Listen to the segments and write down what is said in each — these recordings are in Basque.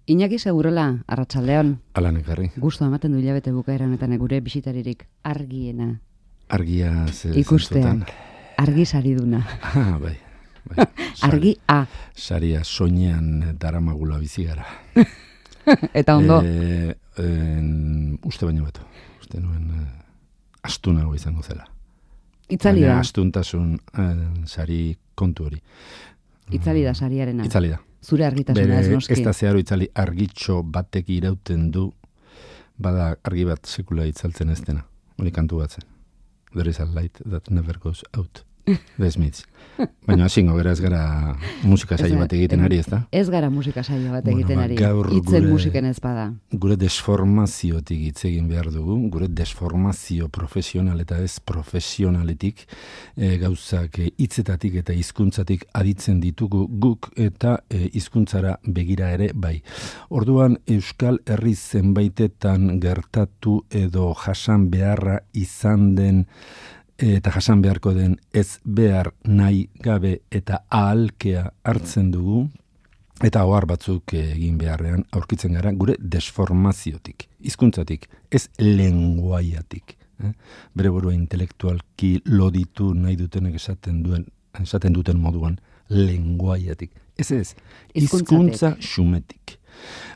Iñaki Segurola, arratsaldeon. Alan ekarri. Gustu ematen du hilabete bukaera honetan gure bisitaririk argiena. Argia ikusteak. Argi sariduna. Bai. Argi A. Saria soinean daramagula bizi gara. Eta ondo. Uste baino beto. Uste nuen astunago izango zela. Itzali da. Astuntasun sari kontu hori. Itzali da sariarena. Itzali da. Zure argitasuna ez noski. Ez da zeharo itzali argitxo batek irauten du, bada argi bat sekula itzaltzen ez dena. Hori kantu batzen. There is a light that never goes out. The Smiths. Baina hasingo gara ez gara musika saio bat egiten ari, ez da? Ez gara musika saio bat egiten ari. Itzen musiken ez bada. Gure desformaziotik hitz egin behar dugu, gure desformazio profesional eta ez profesionaletik gauzak hitzetatik eta hizkuntzatik aditzen ditugu guk eta hizkuntzara begira ere bai. Orduan Euskal Herri zenbaitetan gertatu edo jasan beharra izan den eta jasan beharko den ez behar nahi gabe eta ahalkea hartzen dugu, eta ohar batzuk egin beharrean aurkitzen gara gure desformaziotik, hizkuntzatik, ez lenguaiatik. Bere burua intelektualki loditu nahi dutenek esaten duten moduan lenguaiatik. Ez, hizkuntza xumetik.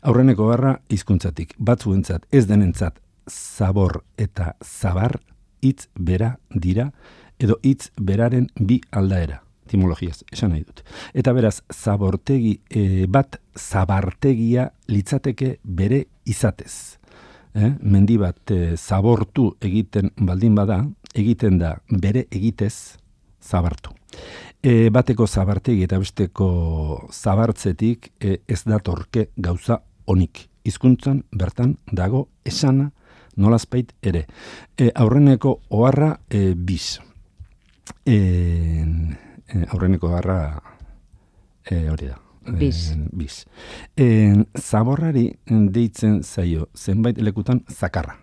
Aurreneko barra hizkuntzatik, batzuentzat ez denentzat zabor eta zabar hitz bera dira, edo hitz beraren bi aldaera, etimologiaz, esan nahi dut. Eta beraz, zabortegi bat zabartegia litzateke bere izatez. Mendi bat zabortu egiten baldin bada, egiten da bere egitez zabartu. Bateko zabartegi eta besteko zabartzetik ez datorke gauza onik. Hizkuntzan bertan dago esana, nolazpait ere. Aurreneko oharra biz. Aurreneko oharra hori da. Biz. Zaborrari deitzen zaio zenbait lekutan zakarra.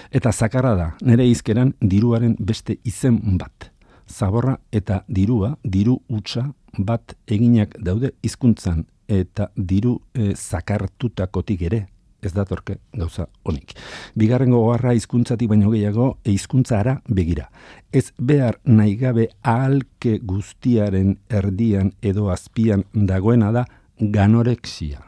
Eta zakarra da, nire hizkeran diruaren beste izen bat. Zaborra eta dirua, diru hutsa bat eginak daude hizkuntzan eta diru zakartutakotik ere. Ez datorke gauza honik. Bigarrengo oharra hizkuntzatik baino gehiago hizkuntzara begira. Ez behar nahi gabe ahalke guztiaren erdian edo azpian dagoena da ganorexia.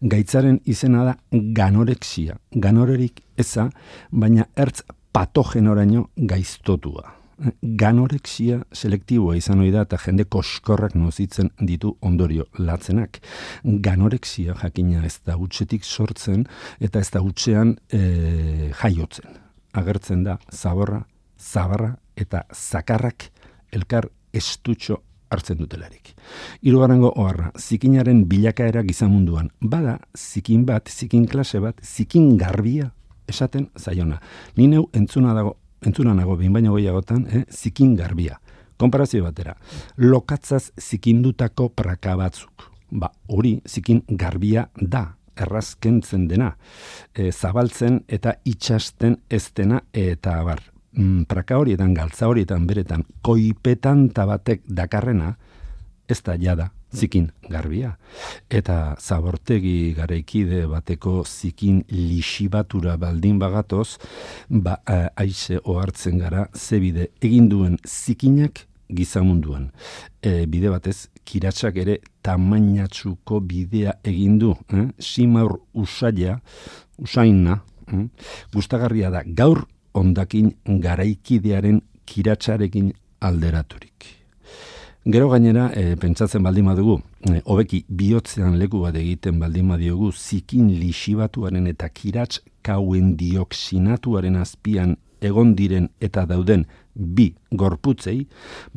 Gaitzaren izena da ganorexia. Ganorerik eza, baina ertz patogenoraino gaiztotua. Ganorexia selektiboa izan ohi da eta jende koskorrak nozitzen ditu ondorio latzenak. Ganorexia jakina ez da hutsetik sortzen eta ez da hutsean jaiotzen. Agertzen da zabarra eta zakarrak elkar estutxo hartzen dutelarik. Hirugarrengo oharra, zikinaren bilakaera gizamunduan. Bada zikin bat, zikin klase bat, zikin garbia esaten zaiona. Ni neu entzuna nago behin baino gehiagotan, zikin garbia. Konparazio batera, lokatzaz zikindutako praka batzuk. Hori zikin garbia da, errazkentzen dena, zabaltzen eta itxasten ez dena eta abar. Praka horietan, galtza horietan, beretan, koipetan tabatek dakarrena, ez da jada zikin garbia. Eta zabortegi garaikide bateko zikin lixibatura baldin bagatoz, aize ohartzen gara zebide egin duen zikinak gizamunduan. Bide batez, kiratsak ere tamainatsuko bidea egin du. Simaur usaina, gustagarria da gaur ondakin garaikidearen kiratsarekin alderaturik. Gero gainera, pentsatzen baldin badugu, hobeki bihotzean leku bat egiten baldin badiogu zikin lixibatuaren eta kirats kauen dioksinatuaren azpian egon diren eta dauden bi gorputzei,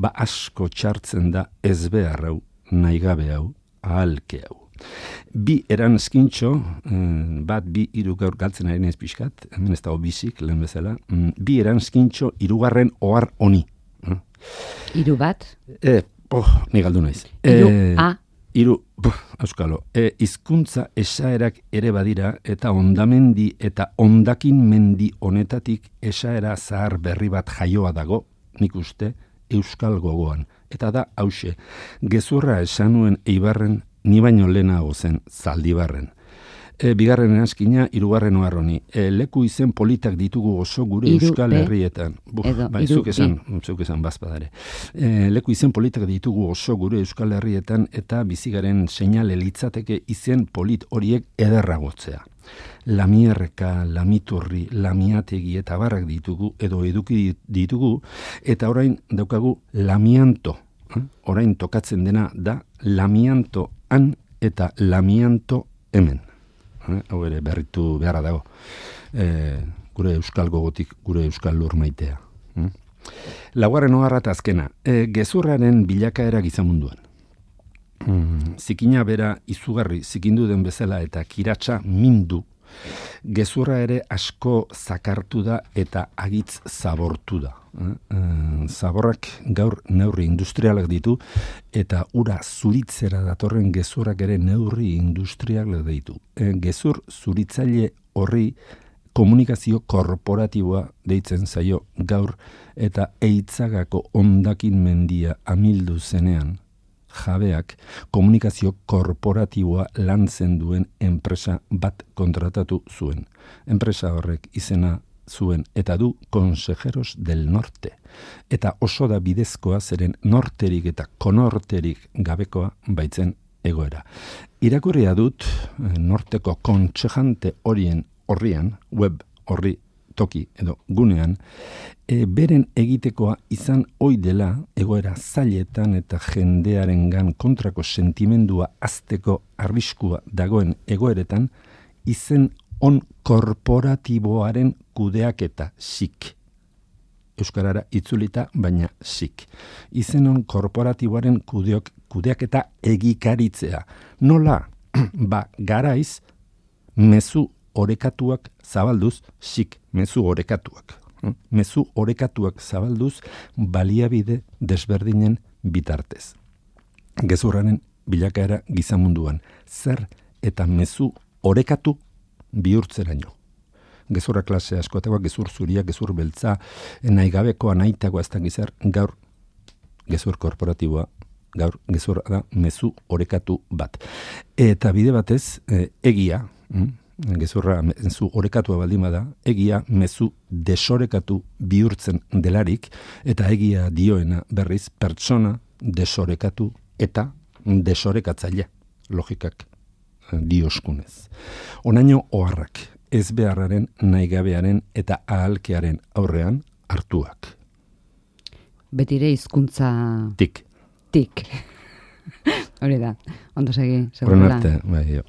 asko txartzen da ez behar hau, nahi gabe hau, ahalke hau. Bi eranskintxo, bi hiru gaur galtzen ari naiz pixkat, hemen ez dago bizik, lehen bezala, bi eranskintxo hirugarren ohar honi. Hiru bat? Ni galdu naiz. Euskalo. Hizkuntza esaerak ere badira eta ondamendi eta ondakin mendi honetatik esaera zahar berri bat jaioa dago, nik uste, euskal gogoan. Eta da hause, gezurra esan nuen Eibarren ni baino lehenago zen Zaldibarren. Bigarren eranskina, hirugarren oharroni. Leku izen politak ditugu oso gure Euskal Herrietan. Zuk esan bazpadare. Leku izen politak ditugu oso gure Euskal Herrietan eta bizigaren seinale litzateke izen polit horiek ederragotzea. Lamierreka, Lamiturri, Lamiategi eta barrak ditugu edo eduki ditugu eta orain daukagu Lamianto. Orain tokatzen dena da Lamianto han eta Lamianto hemen. Hau ere berritu beharra dago. Gure euskal gogotik, gure euskal lur maitea. Laugarren oharra eta azkena. Gezurraren bilakaera gizamunduan. Zikina bera izugarri zikindu den bezala eta kiratsa mindu. Gezurra ere asko zakartu da eta agitz zabortu da. Zaborrak gaur neurri industrialak ditu eta ura zuritzera datorren gezurrak ere neurri industrialak ditu. Gezur zuritzaile horri komunikazio korporatiboa deitzen zaio gaur eta Eitzagako hondakin mendia amildu zenean jabeak komunikazio korporatiboa lantzen duen enpresa bat kontratatu zuen. Enpresa horrek izena zuen eta du Consejeros del Norte. Eta oso da bidezkoa zeren norterik eta konorterik gabekoa baitzen egoera. Irakurria dut norteko kontsejante horrian, web horri toki edo gunean, beren egitekoa izan ohi dela egoera zailetan eta jendearengan kontrako sentimendua azteko arriskua dagoen egoeretan izen on korporatiboaren kudeaketa sik. Euskarara itzulita, baina sik. Izen on korporatiboaren kudeaketa egikaritzea. Nola? Garaiz, mezu orekatuak zabalduz, sik, mezu orekatuak. Mezu orekatuak zabalduz baliabide desberdinen bitartez. Gezurraren bilakaera gizamunduan. Zer eta mezu orekatu bihurtzeraino. Gezurra klase askotakoa, gezur zuria, gezur beltza, nahi gabekoa, nahitagoa ez da gizar, gaur gezur korporatiboa, gaur gezurra da mezu orekatu bat. Eta bide batez, egia, gezurra mezu orekatua baldin bada, egia mezu desorekatu bihurtzen delarik, eta egia dioena berriz pertsona desorekatu eta desorekatzaile logikak dioskunez. Onaino oharrak, ez beharraren, nahigabearen eta ahalkearen aurrean hartuak. Betire hizkuntza Tik. Hori da, ondo segi. Horren arte, bai, jo.